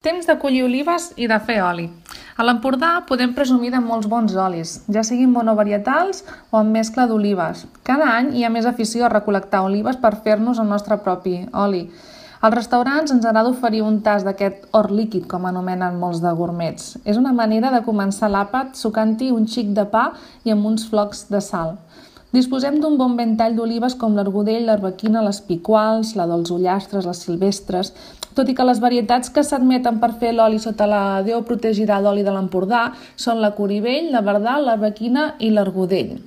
Temps de collir olives i de fer oli. A l'Empordà podem presumir de molts bons olis, ja siguin monovarietals o amb mescla d'olives. Cada any hi ha més afició a recol·lectar olives per fer-nos el nostre propi oli. Als restaurants ens agrada oferir un tast d'aquest or líquid, com anomenen molts de gourmets. És una manera de començar l'àpat sucant-hi un xic de pa i amb uns flocs de sal. Disposem d'un bon ventall d'olives com l'argudell, l'arbequina, les picuals, la dels ullastres, les silvestres, tot i que les varietats que s'admeten per fer l'oli sota la Déu protegirà d'oli de l'Empordà són la corivell, la verdal, l'arbequina i l'argudell.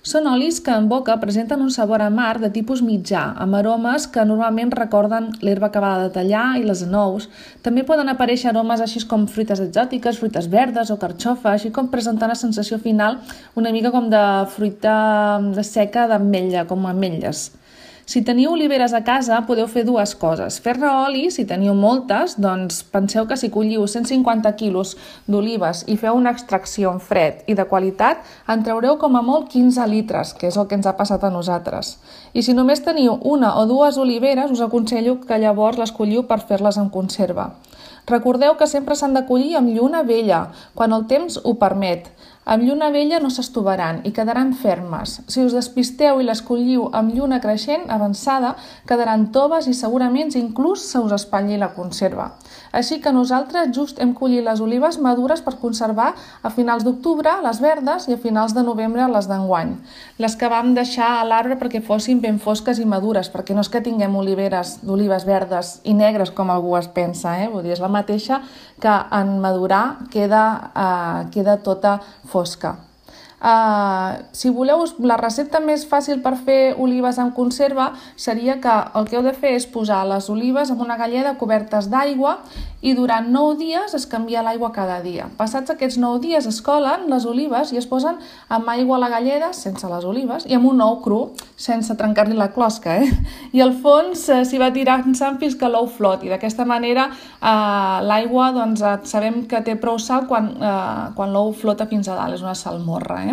Són olis que en boca presenten un sabor amarg de tipus mitjà, amb aromes que normalment recorden l'herba acabada de tallar i les anous. També poden aparèixer aromes així com fruites exòtiques, fruites verdes o carxofa, així com presentar una sensació final una mica com de fruita seca d'ametlla, com ametlles. Si teniu oliveres a casa, podeu fer dues coses. Fer-ne oli, si teniu moltes, doncs penseu que si colliu 150 quilos d'olives i feu una extracció en fred i de qualitat, en traureu com a molt 15 litres, que és el que ens ha passat a nosaltres. I si només teniu una o dues oliveres, us aconsello que llavors les colliu per fer-les en conserva. Recordeu que sempre s'han de collir amb lluna vella, quan el temps ho permet. Amb lluna vella no s'estovaran i quedaran fermes. Si us despisteu i les colliu amb lluna creixent avançada, quedaran toves i segurament inclús se us espatlli la conserva. Així que nosaltres just hem collit les olives madures per conservar a finals d'octubre les verdes i a finals de novembre les d'enguany. Les que vam deixar a l'arbre perquè fossin ben fosques i madures, perquè no és que tinguem oliveres d'olives verdes i negres com algú es pensa, Vull dir, és la mateixa que en madurar queda tota fosca. Si voleu, la recepta més fàcil per fer olives en conserva seria que el que heu de fer és posar les olives en una galleda cobertes d'aigua i durant 9 dies es canvia l'aigua cada dia. Passats aquests 9 dies es colen les olives i es posen amb aigua a la galleda, sense les olives, i amb un ou cru, sense trencar-li la closca. I al fons s'hi va tirant sang fins que l'ou floti. D'aquesta manera l'aigua sabem que té prou sal quan l'ou flota fins a dalt, és una salmorra.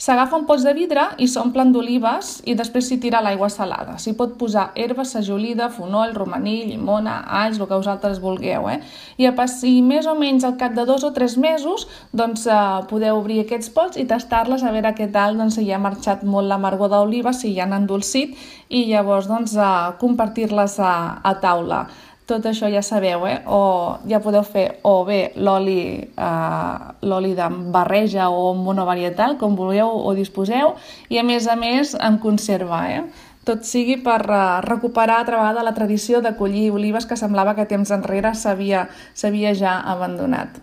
S'agafa un pots de vidre i s'omplen d'olives i després s'hi tira l'aigua salada. S'hi pot posar herba, sajolida, fonoll, romaní, llimona, alls, el que vosaltres vulgueu. I més o menys al cap de 2 o 3 mesos podeu obrir aquests pots i tastar-les a veure què tal si ha marxat molt l'amargor d'oliva, si ja han endolcit i llavors compartir-les a taula. Tot això ja sabeu, o ja podeu fer o bé l'oli de barreja o monovarietal, com vulgueu o disposeu, i a més en conserva. Tot sigui per recuperar altra vegada la tradició de collir olives que semblava que temps enrere s'havia ja abandonat.